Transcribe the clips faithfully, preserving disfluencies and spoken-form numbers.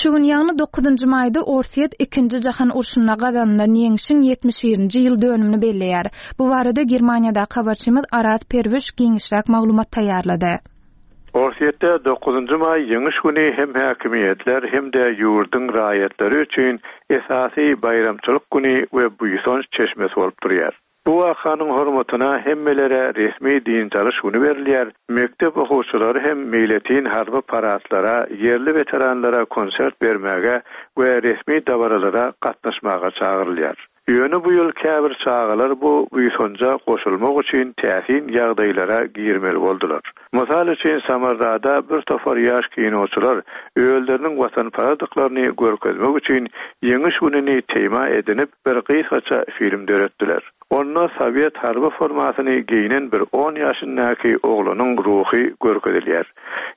Şu gün, ýagny dokuzynjy maýda Orsýet Ikinji jahan urşunda gazanylan ýeňşiň ýetmiş birinji ýyl dönümini belleýär. Bu barada Germaniýadaky habarçymyz Araz Perwiş giňişräk maglumat taýýarlady. Orsýetde dokuzynjy maý Ýeňiş güni hem häkimiýetler, hem-de ýurduň raýatlary üçin esasy baýramçylyk güni we buýsanç çeşmesi bolup durýar. Bu wakanyň hormatyna hemmelere resmi dynç alyş güni berilýär, mekdep okuwçylary hem meýletin harby paradlara, ýerli weteranlara konsert bermäge we resmi dabaralara gatnaşmaga çagyrylýar. Ýöne bu ýyl käbir çagalar bu buýsanja goşulmak üçin täsin ýagdaýlara girmeli boldular. Mysal üçin, Samarrada bir topar ýaş kinoçylar özleriniň watanparazdyklaryny görkezmek üçin Ýeňiş gününi tema edinip bir gysgaça film döretdiler. Onda sowet harby formasyny geýnen bir on ýaşyndaky oglanyň ruhy görkezilýär.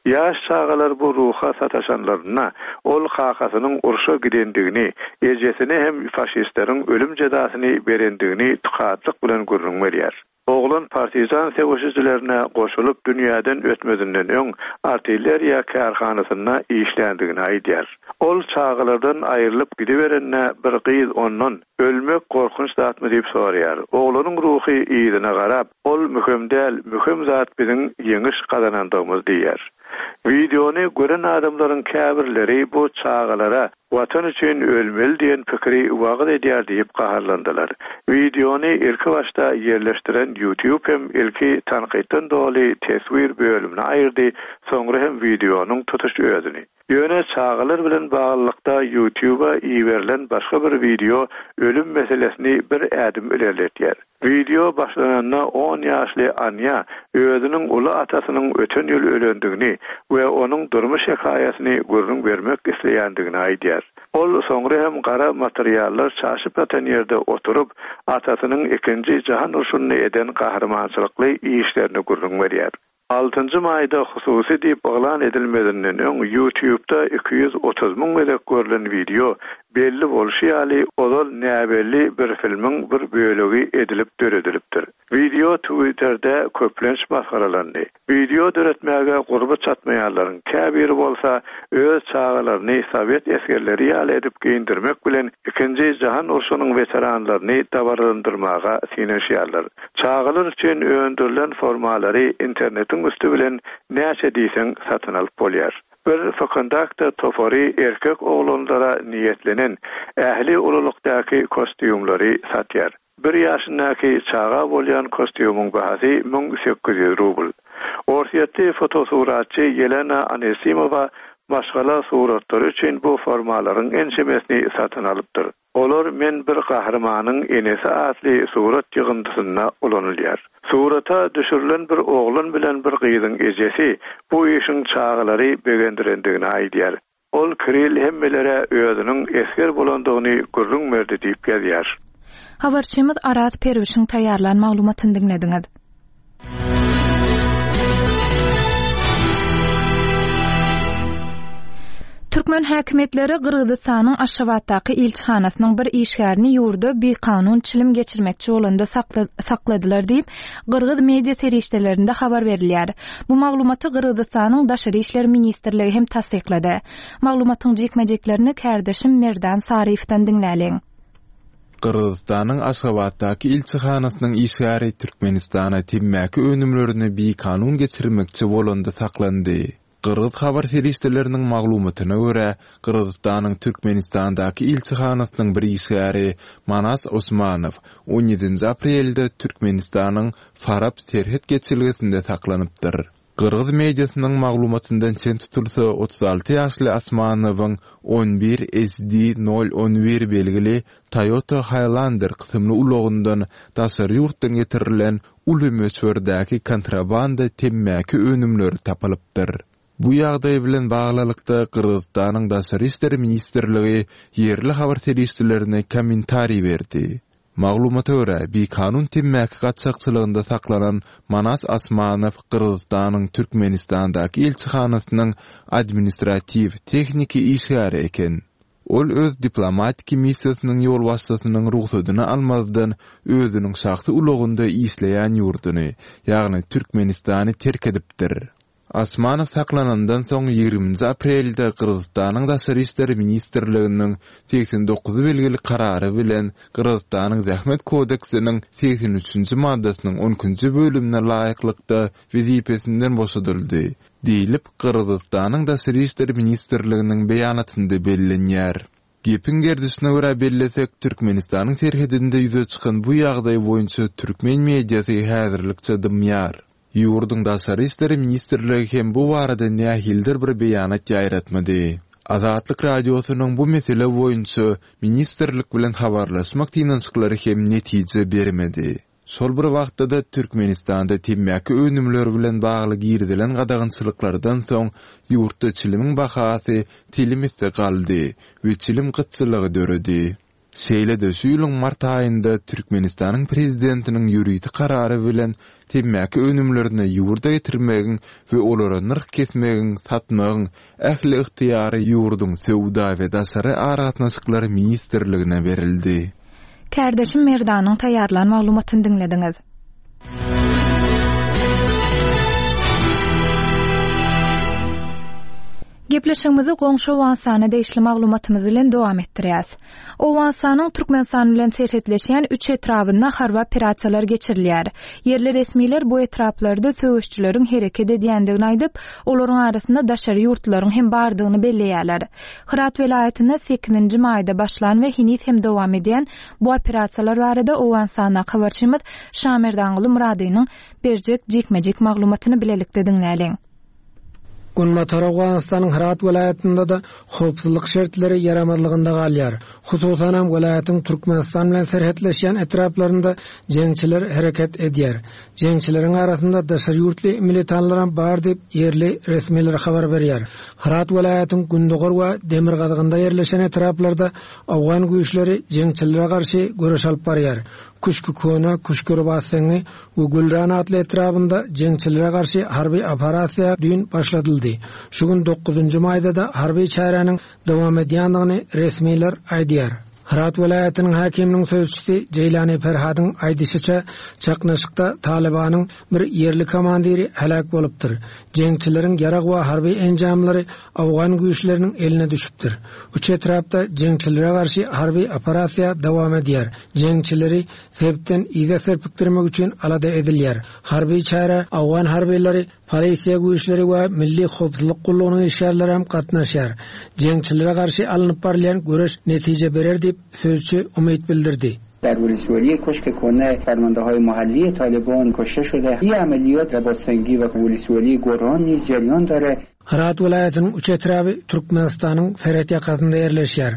Ýaş çagalar bu ruha sataşanlarynda, ol kakasynyň urşa gidendigini, ejesine hem faşistleriň ölüm jezasyny berendigini tukatlyk bilen gürrüň berýär. Oglan partizan söweşijilerine goşulyp dünýäden ötmezinden öň artilleriýa kärhanasynda işländigini aýdýar. Ol çagalardan aýrylyp gidiberende bir gyz ondan, Ölmek gorkunç zatmy diýip soraýar. Oglanyň ruhy yzyna garap, Ol möhüm däl, möhüm zat biziň ýeňiş gazanandygymyz diýýär. Wideony gören adamlaryň käbirleri bu çagalara Watan üçin ölmeli diýen pikiri wagyz edýär diýip gaharlandylar. Wideony ilki başda ýerleşdiren YouTube hem ilki tankytdan doly teswir bölümini aýyrdy, soňra hem wideonyň tutuş özüni. Ýöne çagalar bilen baglylykda YouTube-a iberilen başga bir wideo ölüm meselesini bir ädim ilerletýär. Wideo başlananda on ýaşly Anýa özüniň uly atasynyň öten ýyl ölendigini we onuň durmuş hekaýasyny gürrüň bermek isleýändigini aýdýar. Ol soňra hem gara materiallar çaşyp ýatan ýerde oturyp, atasynyň Ikinji jahan urşunda eden gahrymançylykly işlerini gürrüň berýär. Altynjy maýda hususy diýip yglan edilmezinden öň YouTube-da iki ýüz otuz müň gezek görlen wideo, belli bolşy ýaly, ozal näbelli bir filmiň bir bölegi edilip döredilipdir. Wideo Twitterde köplenç masgaralandy. Wideo döretmäge gurby çatmaýanlaryň käbiri bolsa öz çagalaryny sowet esgerleri ýaly edip geýindirmek bilen Ikinji jahan urşunyň weteranlaryny dabaralandyrmaga synanyşýarlar. Çagalar üçin öndürilen formalary internetiň üsti bilen näçe diýseň satyn alyp bolýar. Bir Vkontakte topary erkek oglanlara niýetlenen ähli ululykdaky kostýumlary satýar. Bir ýaşyndaky çaga bolýan kostýumyň bahasy müň sekiz ýüz rubl. Orsýetli fotosuratçy Ýelena Anisimowa maşgala suratlary üçin bu formalaryň ençemesini satyn alypdyr. Olar Men bir gahrymanyň enesi atly surat ýygyndysynda ulanylýar. Surata düşürilen bir oglan bilen bir gyzyň ejesi bu işiň çagalary begendirendigini aýdýar. Ol Kirill hemmelere özüniň esger bolandygyny gürrüň berdi diýip ýazýar. Habarçymyz Araz Perwişiň taýýarlan maglumatyny diňlediňiz. Türkmen häkimiýetleri Gyrgyzystanyň Aşgabatdaky ilçihanasynyň bir işgärini ýurda bikanun çilim geçirmekçi bolanda sakla-, sakladylar diýip, gyrgyz media serişdelerinde habar berilýär. Bu maglumaty Gyrgyzystanyň Daşary işler ministrligi hem tassyklady. Maglumatyň jikme-jiklerini kärdeşim Merdan Saryýewden diňläliň. Gyrgyzystanyň Aşgabatdaky ilçihanasynyň işgäri Türkmenistana temmäki önümlerini bikanun geçirmekçi bolanda saklandy. Gyrgyz habar serişdeleriniň maglumatyna görä, Gyrgyzystanyň Türkmenistandaky ilçihanasynyň bir işgäri Manas Osmanow on ýedinji aprelde Türkmenistanyň Farap serhet geçelgesinde saklanypdyr. Gyrgyz mediasynyň maglumatyndan çen tutulsa, otuz alty ýaşly Osmanowyň on bir S D nol on bir belgili Toyota Highlander kysymly ulagyndan daşary ýurtdan getirilen uly möçberdäki kontrabanda temmäki önümleri tapylypdyr. Bu ýagdaý bilen baglylykda Gyrgyzystanyň Daşary işler ministrligi ýerli habar serişdelerine kommentariý berdi. Maglumata görä, bikanun temmäki gaçakçylygynda saklanan Manas Osmanow Gyrgyzystanyň Türkmenistandaky ilçihanasynyň administratiw tehniki işgäri eken. Ol öz diplomatiki missiýasynyň ýolbaşçysynyň rugsadyny almazdan özüniň şahsy ulagynda işleýän ýurduny, ýagny Türkmenistany terk edipdir. Osmanow saklanandan soň ýigriminji aprelde Gyrgyzystanyň Daşary işler ministrliginiň segsen dokuz belgili karary bilen Gyrgyzystanyň Zähmet kodeksiniň segsen üçünji maddasynyň on ikinji bölümine laýyklykda wezipesinden boşadyldy, diýlip, Gyrgyzystanyň Daşary işler ministrliginiň beýanatynda bellenýär. Gepiň gerdişine görä bellesek, Türkmenistanyň serhedinde ýüze çykan bu ýagdaý boýunça türkmen mediasy häzirlikçe dymýar. Ýurduň Daşary işler ministrligi hem bu barada nähilidir bir beýanat ýaýratmady. Azatlyk Radiosynyň bu mesele boýunça ministrlik bilen habarlaşmak synanyşyklary hem netije bermedi. Şol bir wagtda-da Türkmenistanda temmäki önümleri bilen bagly girizilen gadagançylyklardan soň ýurtda çilimiň bahasy telim esse galdy we çilim gytçylygy döredi. Şeýle-de şu ýylyň mart aýynda Türkmenistanyň Prezidentiniň ýörite karary bilen temmäki önümlerini ýurda getirmegiň we olara nyrh kesmegiň, satmagyň ähli ygtyýary ýurduň Söwda we daşary aragatnaşyklar ministrligine berildi. Kärdeşim Merdanyň taýýarlan maglumatyny diňlediňiz. Gepleşigimizi goňşy Owganystana degişli maglumatymyz bilen dowam etdirýäs. Owganystanyň Türkmenistan bilen serhetleşýän üç etrabynda harby operasiýalar geçirilýär. Ýerli resmiler bu etraplarda söweşçileriň hereket edýändigini aýdyp, olaryň arasynda daşary ýurtlaryň hem bardygyny belleýärler. Hyrat welaýatynda sekizinji maýda başlan we heniz hem dowam edýän bu operasiýalar barada Owganystandaky habarçymyz Şamerdanguly Myradynyň berjek jikme-jik maglumatyny bilelikde diňläliň. Günbatar Owganystanyň Hyrat welaýatynda-da howpsuzlyk şertleri ýaramazlygynda galýar. Hususanam welaýatyň Türkmenistan bilen serhetleşýän etraplarynda jeňçiler hereket edýär. Jeňçileriň arasynda daşary ýurtly militanlaram bar diýip ýerli resmiler habar berýär. Hyrat welaýatyň Gündogar we Demirgazygynda ýerleşen etraplarda Owgan güýçleri jeňçilere garşy göreş alyp barýar. Küşkü Köne, Küşkü Rybatseňi we Gülran atly etrabynda jeňçilere garşy harby operasiýa düýn başladyldy. Şu gün dokuzynjy maýda-da harby çäräniň dowam edýändigini resmiler aýdýar. Hyrat welaýatynyň häkiminiň sözçüsi Jeýlani Ferhadyň aýdyşyça, çaknyşykda Talibanyň bir ýerli komandiri heläk bolupdyr. Jeňçileriň ýarag we harby enjamlary Owgan güýçleriniň eline düşüpdir. Üç etrapda jeňçilere garşy harby operasiýa dowam edýär. Jeňçileri sebitden yza serpikdirmek üçin alada edilýär. Harby çäre Owgan harbylary, polisiýa güýçleri we milli howpsuzlyk gullugynyň işgärleri hem gatnaşýar. Jeňçilere garşy alnyp barylýan göreş netije berer diýip sözçi umyt bildirdi. در ولسوالی Köşk Kone فرمانده‌های محلی طالبان کشته شده. این عملیات رباطسنگی و ولسوالی گران نیز جریان داره. Hyrat welaýatynyň üç etraby Türkmenistanyň serhet ýakasynda ýerleşýär.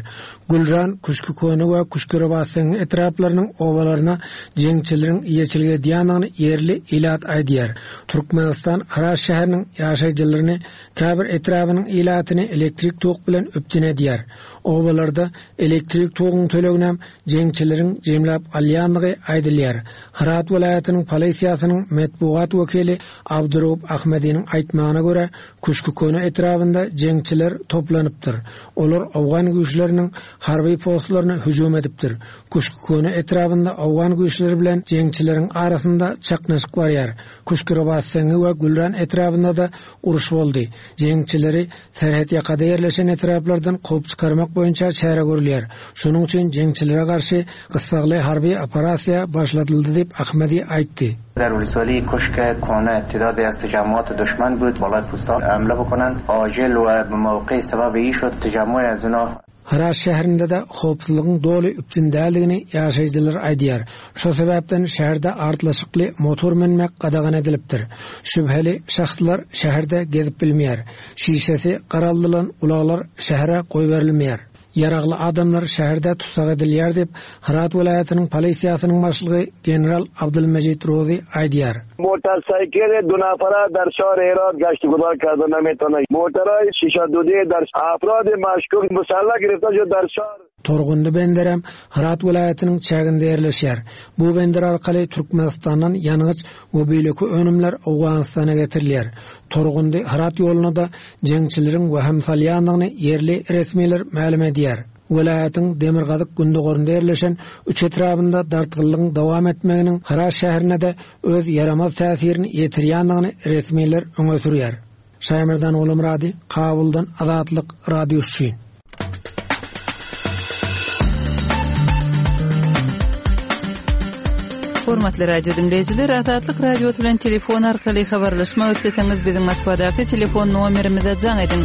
Gülran, Küşkü Köne we Küşkü Rybatseňi etraplarynyň obalaryna jeňçileriň eýeçilik edýändigini ýerli ilat aýdýar. Türkmenistan Hyrat şäheriniň ýaşaýjylaryny käbir etrabynyň ilatyny elektrik tok bilen üpjün edýär. Obalarda elektrik toguň tölegini jeňçileriň jemläp alýandygy aýdylýar. Hyrat welaýatynyň polisiýasynyň metbugat wekili Abduraup Ahmediniň aýtmagyna görä, Küşkü Köne etrabynda jeňçiler toplanypdyr. Olar Owgan güýçleriniň harby postlaryna hüjüm edipdir. Küşkü Köne etrabynda Owgan güýçleri bilen jeňçileriň arasynda çaknyşyk barýar. Küşkü Rybatseňi we Gülran etrabynda da uruş boldy. Jeňçileri serhet ýakada ýerleşen etraplardan kowup çykarmak boýunça çäre görülýär. Şonuň üçin jeňçilere garşy gyssagly harby operasiýa başladyldy diýip Ahmedi aýtdy. در ولسوالی کشک کهنه تعداد از تجمعات دشمن بود بالای پوستا حمله بکنند عاجل و به موقع سبب ای شد تجمع از اونا Hyrat şäherinde-de howpsuzlygyň doly üpjün däldigini ýaşaýjylar aýdýar. Şo sebäpden şäherde artlaşykly motor münmek gadagan edilipdir. Şübheli şahslar şäherde gezip bilmeýär. Şişesi garaldylan ulaglar şähere goýberilmeýär. Ýaragly adamlar şäherde tutsak edilýär diýip Hyrat welaýatynyň polisiýasynyň başlygy General Abdülmecid Rozi aýdýar. Motorcycle دو نفره در شهر هرات گشت گذار کرده نمیتونه. موترهای شیشه دودی در افراد مشکوک مسلح گرفته شد در شهر. Torgundy benderem Hyrat welaýatynyň çäginde ýerleşýär. Bu bender arkaly Türkmenistandan ýangyç we beýleki önümler Owganystana getirilýär. Torgundy Hyrat ýoluna da jeňçileriň wehim salýandygyny ýerli resmiler mälim edýär. Welaýatyň Demirgazyk Gündogarynda ýerleşen üç etrabynda dartgynlygyň dowam etmeginiň Hyrat şäherine de öz ýaramaz täsirini ýetirýändigini resmiler öňe sürýär. Şaýmerdan Gulumyrady, Kabuldan Azatlyk Radiosy. Hormatly radio dinleýjiler, Azatlyk Radiosy bilen telefon arkaly habarlaşmak isleseňiz biziň Moskwadaky telefon nomerimize jaň ediň.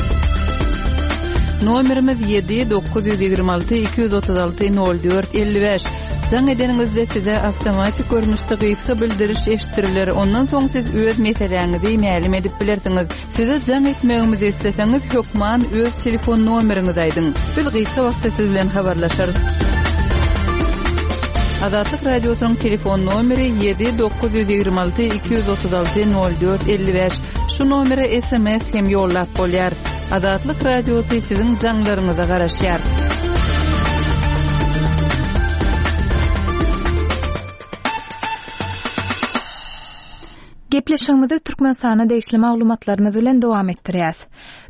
Nomerimiz ýedi dokuz ýüz ýigrimi alty iki ýüz otuz alty nol dört elli bäş. Jaň edeniňizde size awtomatik görnüşde gysga bildiriş eşitdiriler. Ondan soň siz öz meseläňizi mälim edip bilersiňiz. Size jaň etmegimizi isleseňiz hökman öz telefon nomeriňizi aýdyň. Biz gysga wagtda siz bilen habarlaşarys. Azatlyk Radiosynyň telefon nomeri ýedi dokuz ýüz ýigrimi alty iki ýüz otuz alty nol dört elli bäş. Şu nomere S M S hem ýollap bolýar. Azatlyk Radiosy siziň jaňlaryňyza garaşýar. Gepleşigimizi Türkmenistana degişli maglumatlarymyz bilen dowam etdirýäs.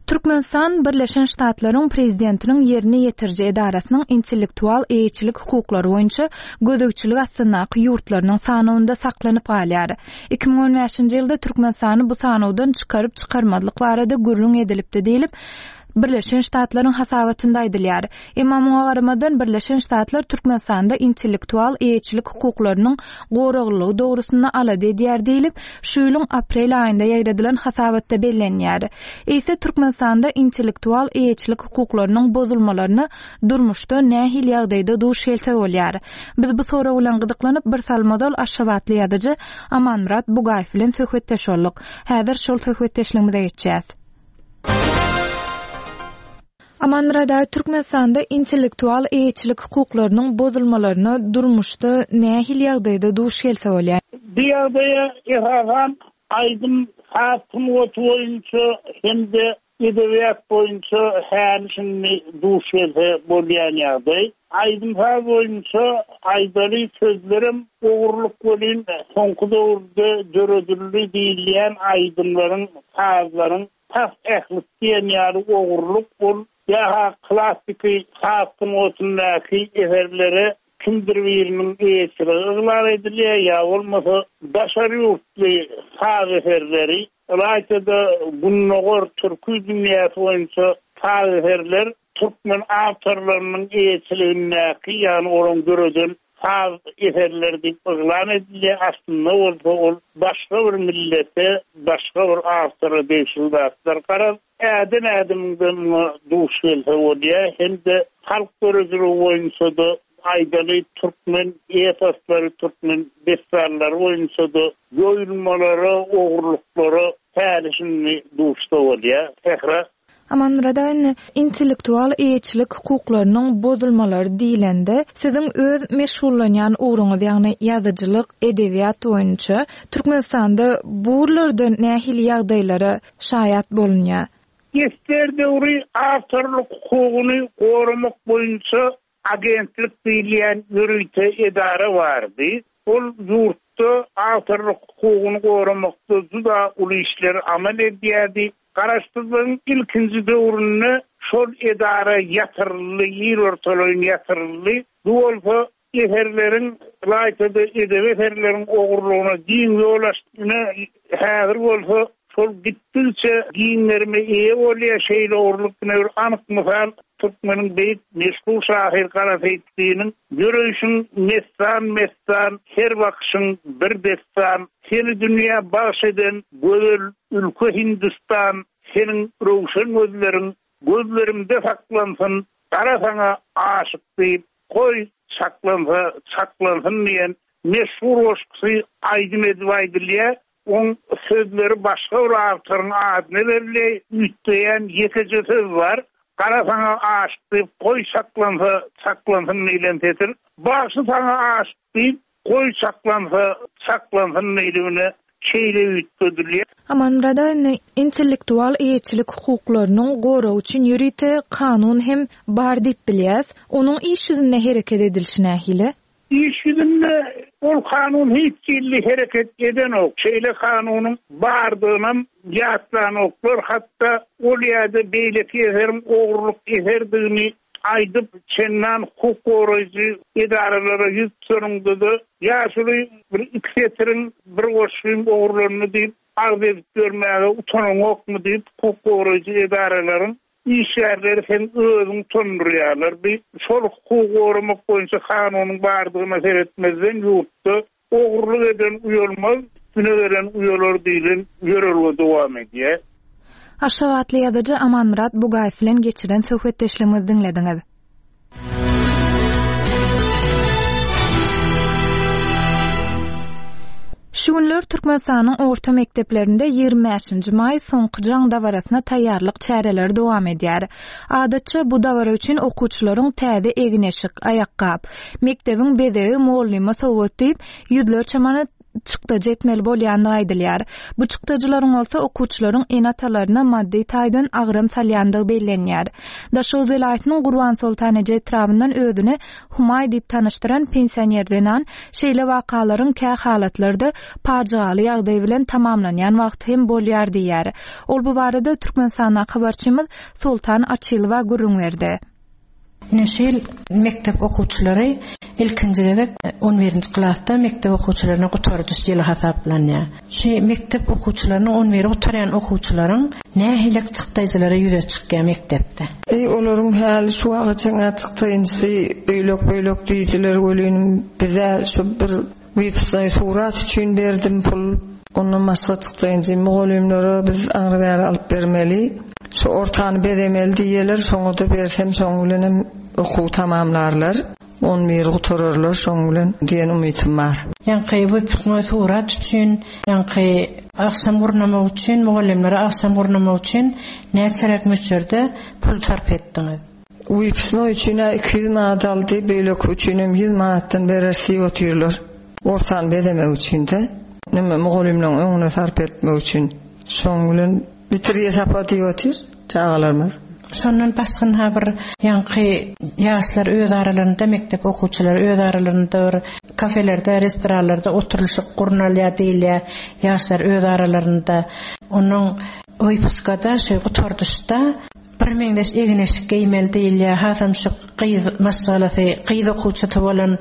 Türkmenistan Birleşen Ştatlaryň prezidentiniň ýerine ýetiriji edarasynyň intellektual eýeçilik hukuklary boýunça gözegçilik astyndaky ýurtlarynyň sanawynda saklanyp galýar. Iki müň on bäşinji ýylda Türkmenistany bu sanawdan çykaryp çykarmazlyk barada gürrüň edilipdi diýilip, Birleşen Ştatlaryň hasabatynda aýdylýar. Emma muňa garamadan Birleşen Ştatlar Türkmenistanda intellektual eýeçilik hukuklarynyň goraglylygy dogrusynda alada edýär diýilip, şu ýylyň aprel aýynda ýaýradylan hasabatda bellenýär. Eýse Türkmenistanda intellektual eýeçilik hukuklarynyň bozulmalaryna durmuşda nähili ýagdaýda duş gelse bolýar. Biz bu sorag bilen gyzyklanyp bir salmazol Aşgabatly ýazyjy Amanmyrat Bugaýew bilen söhbetdeş bolduk. Häzir şol söhbetdeşligimize geçýäs. Amanmyrat aga, Türkmenistanda intellektual eýeçilik hukuklarynyň bozulmalaryna durmuşda nähili ýagdaýda duş gelse bolýar? Bu ýagdaýa esasan aýdym saz sungaty boýunça hem-de edebiýat boýunça häli-şindi duş gelse bolýan ýagdaý. Aýdym saz boýunça aýdaly sözlerim ogurlyk welin soňky döwürde döredildi diýilýän aýdymlaryň, sazlaryň tas ählis diýen ýaly ogurlyk ol ýa-ha klassiki saz sungatyndaky eserlere kimdir biriniň eýeçiligi yglan edilýär, ýa bolmasa daşary ýurtly saz eserleri, ylaýta-da Gündogar türki dünýäsi boýunça saz eserler türkmen awtorlarynyň eýeçiligindäki, ýagny olaryň döreden saz eserleri diýip yglan edilýär. Aslynda bolsa ol başga bir millete, başga bir awtora degişli zatlar. Garaz, ädim ädimden muňa duş gelse bolýar. Hem-de halk döredijiligi boýunça-da aýdaly türkmen eposlary, türkmen dessanlary boýunça-da ýoýulmalara, ogurlyklara häli-şindi duşda bolýar. Sähra. Amanmyrat aga, indi intellektual eýeçilik hukuklarynyň bozulmalary diýilende, siziň öz meşgullanýan ugruňyz, ýagny ýazyjylyk, edebiýat boýunça Türkmenistanda bu ugurlarda nähili ýagdaýlara şaýat bolunýar? Ester döwri awtorlyk hukugyny goramak boýunça agentlik diýilýän ýörite edara bardy. Ol ýurtda awtorlyk hukugyny goramakda juda uly işler amal edýärdi. Garaşsyzlygyň ilkinji döwründe şol edara ýatyryldy, ýer ortalaýyn ýatyryldy. Bu bolsa eserleriň, ylaýta-da edebi eserleriň ogurlygyna giň ýol açdy. Ine, häzir bolsa şol gitdikçe giňlerime eýe bolýar. Şeýle ogurlyk ine bir anyk mysal Türkmeniň beýik meşhur şahyr Gara Seýitdiniň ýöreyşiň messan-messan, her bakşyň bir dessan, seni dünýä bagş eden gözel ülke Hindistan, seniň röwşen gözleriň gözlerimde saklansyn, gara saňa aşyk diýip, goý çaklansa çaklansyn diýen meşhur goşgusy aýdym edip aýdylýar. Oň sözleri başga bir awtoryň adyna berilýär, üýtgeýän ýekeje söz bar. Gara saňa aşyk diýip, goý çaklansa çaklansyn diýlen setir. Bagşy saňa aşyk diýip, goý çaklansa çaklansyn diýligine şeýle üýtgedilýär. Amanmyrat aga, indi intellektual eýeçilik hukuklarynyň goragy üçin ýörite kanun hem bar diýip bilýäs. Onuň iş ýüzünde hereket edilişi nähili? İş ýüzünde ol kanun hiç ýerli hereket edenok. Şeýle kanunyň bardygynam ýatlanoklar. Hatda ol ýerde beýleki eseriň ogurlyk eserdigini aýdyp, çendan hukuk goraýjy edaralara ýüz tutanynda-da ýaşuly bir iki setiriň bir goşgyň ogurlandy diýip arz edip ýörmäge utanaňokmy diýip, hukuk goraýjy edaralaryň işgärleri seň özüňi utandyrýarlar. Bir şol hukugy goramak boýunça kanunyň bardygyna seretmezden ýurtda ogurlyk eden uýalmaz, üstüne gelen uýalar diýlen ýörelge dowam edýär. Aşgabatly ýazyjy Amanmyrat Bugaýew bilen geçiren söhbetdeşligimizi diňlediňiz. Şu günler Türkmenistanyň orta mekdeplerinde ýigrimi bäşinji maý soňky jaň dabarasyna taýýarlyk çäreleri dowam edýär. Adatça bu dabara üçin okuwçylaryň täze egin-eşik, aýakgap, mekdebiň bezegi mugallyma sowgat diýip, ýüzlerçe manat çykdajy etmeli bolýandygy aýdylýar. Bu çykdajylaryň bolsa okuwçylaryň ene-atalaryna maddy taýdan agram salýandygy bellenýär. Daşoguz welaýatynyň Gurbansoltan eje etrabyndan özüni Humaý diýip tanyşdyran pensioner zenan şeýle wakalaryň kä halatlarda pajygaly ýagdaý bilen tamamlanýan wagty hem bolýar diýýär. Ol bu barada Türkmenistandaky habarçymyz Soltan Açylowa gürrüň berdi. Ine şu ýyl mekdep okuwçylary ilkinji gezek on birinji klasda mekdep okuwçylaryna gutardyş ýyly hasaplanýar. Şu mekdep okuwçylarynyň on biri gutarýan okuwçylaryň nähili çykdaýjylary ýüze çykýar mekdepde? Eý, olaryň häli şu wagta çenli çykdaýjysy öýlek-böýlek diýdiler welin, bize şu bir wypusnoý surat üçin berdim pul. Ondan başga çykdaýjy mugallymlara biz aňry bäri alyp bermeli. Şu ortany bezemeli diýerler, şoňa da bersem şoň bilenem okuw tamamlarlar. On biri gutararlar şoň bilen diýen umytym bar. Ýaňky wypusnoý surat üçin, ýaňky agşam gurnamak üçin, mugallymlara agşam gurnamak üçin näçeräk möçberde pul sarp etdiňiz? Wypusnoý üçin-ä iki ýüz manat aldy, beýleki üçinem ýüz manatdan berer diýip otyrlar. Ortany bezemek üçin-de, neme mugallymlaryň öňüne sarp etmek üçin. Şoň bilen bitirýe sapa diýip otyr çagalarymyz. Şondan başga bir ýaňky ýaşlar öz aralarynda, mekdep okuwçylary öz aralarynda bir kafelerde, restoranlarda oturylyşyk gurnalýar diýilýär. Ýaşlar öz aralarynda onuň wypuskada, şu gutardyşda bir meňzeş egin-eşik geýmeli diýilýär. Hasam şu gyz maşgalasy, gyz okuwçysy bolan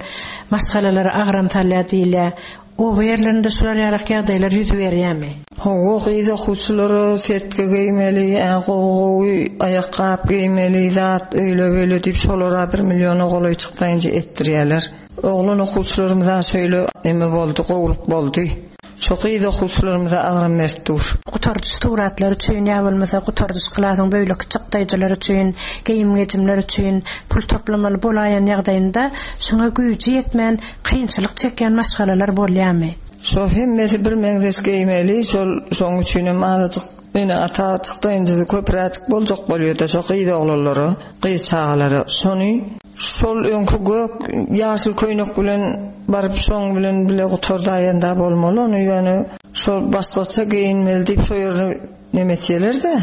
maşgalalara agram salýar diýilýär. Oba ýerlerinde şular ýaly ýagdaýlar ýüz berýärmi? Hawa, gyz okuwçylara setge geýmeli, ä, gowy-gowy aýakgap geýmeli, zat öýle-beýle diýip şolara bir milliona golaý çykdaýynca etdirýärler. Oglan okuwçylarymyza şeýle neme boldy, gowulyk boldy. Şo gyz okuwçylarymyza agram berip dur. Gutardyş suratlar üçin, ýa bolmasa gutardyş klasyň böýleki çykdaýjylar üçin, geýim-gejimler üçin pul toplamaly bolaýan ýagdaýynda şoňa güýji ýetmän kynçylyk çekýän maşgalalar bolýarmy? Şo hemmesi bir meňzeş geýmeli, şol şoň üçin hem azajyk ene ata çykdaýynca köpräjik boljak bolýar-da şo gyz oglanlara, gyz çagalara. Şony şol öňki gök ýaşyl köýnek bilen baryp şoň bilen bile gutardaýanda bolmaly, ony ýöne şol başgaça geýinmeli diýip şo ýerine nemetýeler-de,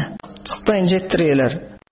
çykdaýynca etdirýärler.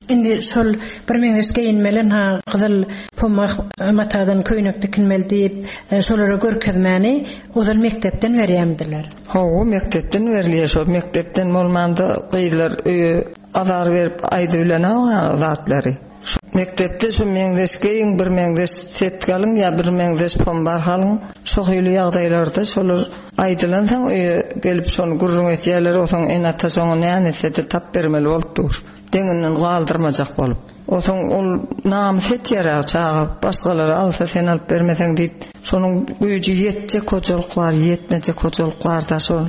Indi şol bir meňzeş geýinmeli, ha gyzyl pomak matadan köýnek dikinmeli diýip, e, şolara görkezmäni ozal mekdepden berýärmidiler? Hawa, mekdepden berilýär. Şol mekdepden bolmanda gyzlar öýe azar berip aýdy bilen ha zatlary. Şu mekdepde şu meňzeş geýin, bir meňzeş set galyň ýa bir meňzeş pombar halyň. Şo hili ýagdaýlarda şolar aýdylansoň öýe gelip şony gürrüň etýärler, osaň ene-ata şoňa näme etse-de tap bermeli bolup dur. Deňinden galdyrmajak bolup. Osaň ol namys etýär çaga, başgalary alsa sen alyp bermeseň diýip, şonuň güýji ýetjek hojalyk bar, ýetmejek hojalyk bar da şol.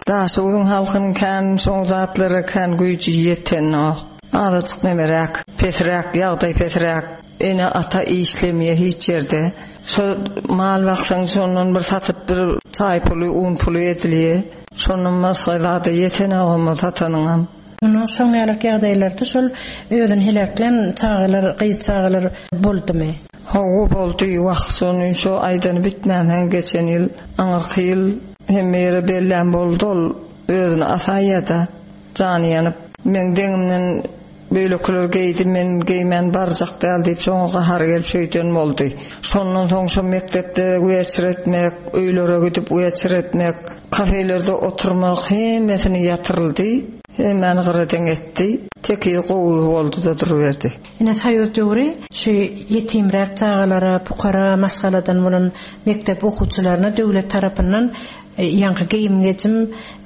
Daşoguzun halkynyň kän şoň zatlara kän güýji ýetenok. Azajyk nemeräk, pesräk, ýagdaý pesräk, ene ata işlemeye hiç ýerde. Şo mal baksaň şondan bir satyp bir çaý puly, un puly edilýär. Şondan başga zada ýetenok ama satanyňam. Onuň şoň ýaly ýagdaýlarda şol özüni heläklän çagalar, gyz çagalar boldumy? Hawa boldy, wah, şony şo aýdany bitmänsoň geçen ýyl, aňyrky ýyl hemme ýere bellän boldy, ol özüni asaýýa-da, jany ýanyp, men deňimden beýlekiler geýdi, men geýmän barjak däl diýip şoňa gahary gelip şeýden boldy. Şondan soň şo mekdepde weçer etmek, öýlere gidip weçer etmek, kafelerde oturmak hemmesini ýatyryldy. Hemmäni gyradeň etdi. Tekiz gowy boldy da duruberdi. Ine soýuz döwri şu ýetimräk çagalara, pukara maşgaladan bolan mekdep okuwçylaryna döwlet tarapyndan Ýaňky geýim-gejim,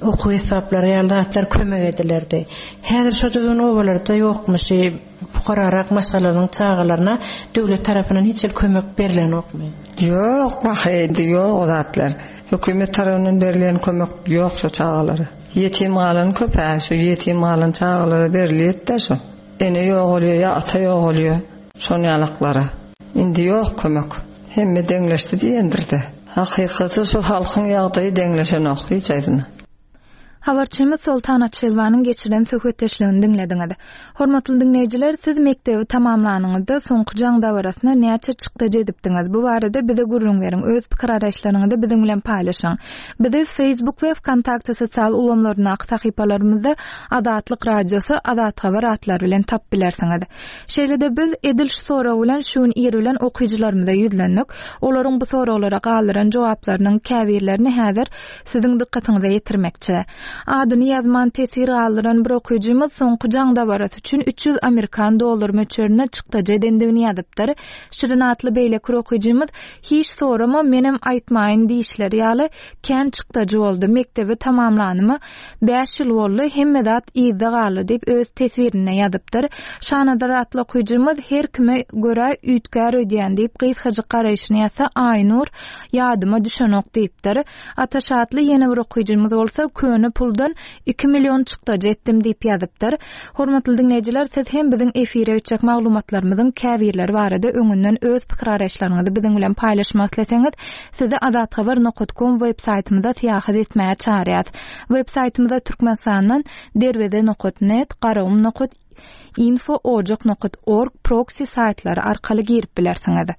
okuw esbaplary ýaly zatlar kömek edilerdi. Häzir şo düzgün obalarda ýokmuş. Pukararak maşgalalaryň çagalaryna döwlet tarapyndan hiç hili kömek berlenokmy? Ýok, wah, indi ýok o zatlar. Hökümet tarapyndan berilýän kömek ýok şo çagalara. Ýetim galan köp-ä, şu ýetim galan çagalara berilýär-de şo. Ene ýogalýar ýa ata ýogalýar, şon ýalaklara. Indi ýok kömek. Hemme deňleşdi diýendir-de. Hakykaty şu halkyň ýagdaýy deňleşenok hiç aýdyna. Habarçymyz Soltan Açylwanyň geçiren söhbetdeşligini diňlediňiz. Hormatly diňleýjiler, siz mekdebi tamamlanyňyzda soňky jaň dabarasyna näçe çykdajy edipdiňiz? Bu barada bize gürrüň beriň, öz pikir araýyşlaryňyzy biziň bilen paýlaşyň. Bizi Facebook we VKontakte sosial ulgamlaryndaky sahypalarymyzda Azatlyk Radiosy, Azat Habar atlary bilen tapyp bilersiňiz. Şeýle-de biz edil şu sorag bilen şu gün ir bilen okyjylarymyza ýüzlendik. Olaryň bu soraglara galdyran jogaplarynyň käbirlerini häzir siziň dykgatyňyza ýetirmekçi. Adyny ýazman teswir galdyran bir okyjymyz soňky jaň dabarasy üçin üç ýüz amerikan dollar möçberinde çykdajy edendigini ýazypdyr. Şirin atly beýleki okyjymyz hiç sorama menem aýtmaýyn diýişleri ýaly kän çykdajy boldy. Mekdebi tamamlanyma bäş ýyl boldy, hemme zat yzda galdy diýip öz teswirinde ýazypdyr. Şanazar atly okyjymyz her kime görä üýtgär öýdýän diýip gysgajyk garaýşyny ýazsa, Aýnur ýadyma düşenok diýipdir. Ataş atly ýene bir okyjymyz bolsa köne puldan iki million çykdajy etdim diýip ýazypdyr. Hormatly diňleýjiler, siz hem biziň efire geçjek maglumatlarymyzyň käbirleri barada öňünden öz pikir araýyşlaryňyzy biziň bilen paýlaşmak isleseňiz, sizi azathabar nokta com web saýtymyza syýahat etmäge çagyrýarys. Web saýtymyza Türkmenistandan derweze nokta net, garagum nokta info, ojak nokta org proxy saýtlary arkaly girip bilersiňiz.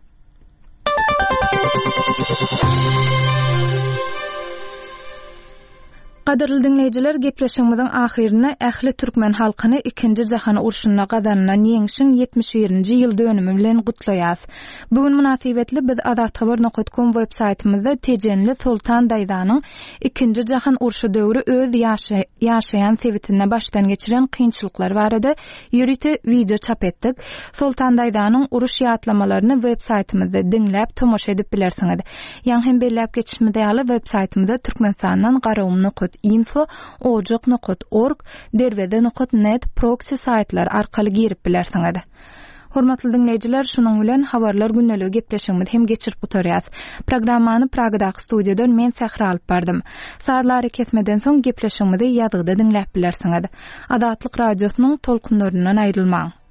Gadyrly diňleýjiler, gepleşigimiziň ahyrynda ähli türkmen halkyny ikinji jahan urşunda gazanylan ýeňşiň ýetmiş birinji ýyl dönümi bilen gutlaýas. Bu gün mynasybetli biz azathabar nokta com web saýtymyzda Tejenli Soltan Daýzanyň ikinji jahan urşy döwri öz ýaşa-, ýaşaýan sebitinde başdan geçiren kynçylyklar barada ýörite wideo çap etdik. Soltan Daýzanyň uruş ýatlamalaryny web saýtymyzda diňläp tomaşa edip bilersiňiz. Ýaňy hem belläp geçişimiz ýaly web saýtymyzda Türkmenistandan garagum nokta info, ojak nokta org, derweze nokta net proxy saýtlary arkaly girip bilersiňiz. Hormatly diňleýjiler, şunuň bilen habarlar gündeligi gepleşigimizi hem geçirip gutarýas. Programmany Pragadaky studiýadan men Sähra alyp bardym. Sazlary kesmeden soň gepleşigimizi ýazgyda diňläp bilersiňiz. Azatlyk radiosynyň tolkunlaryndan aýrylmaň.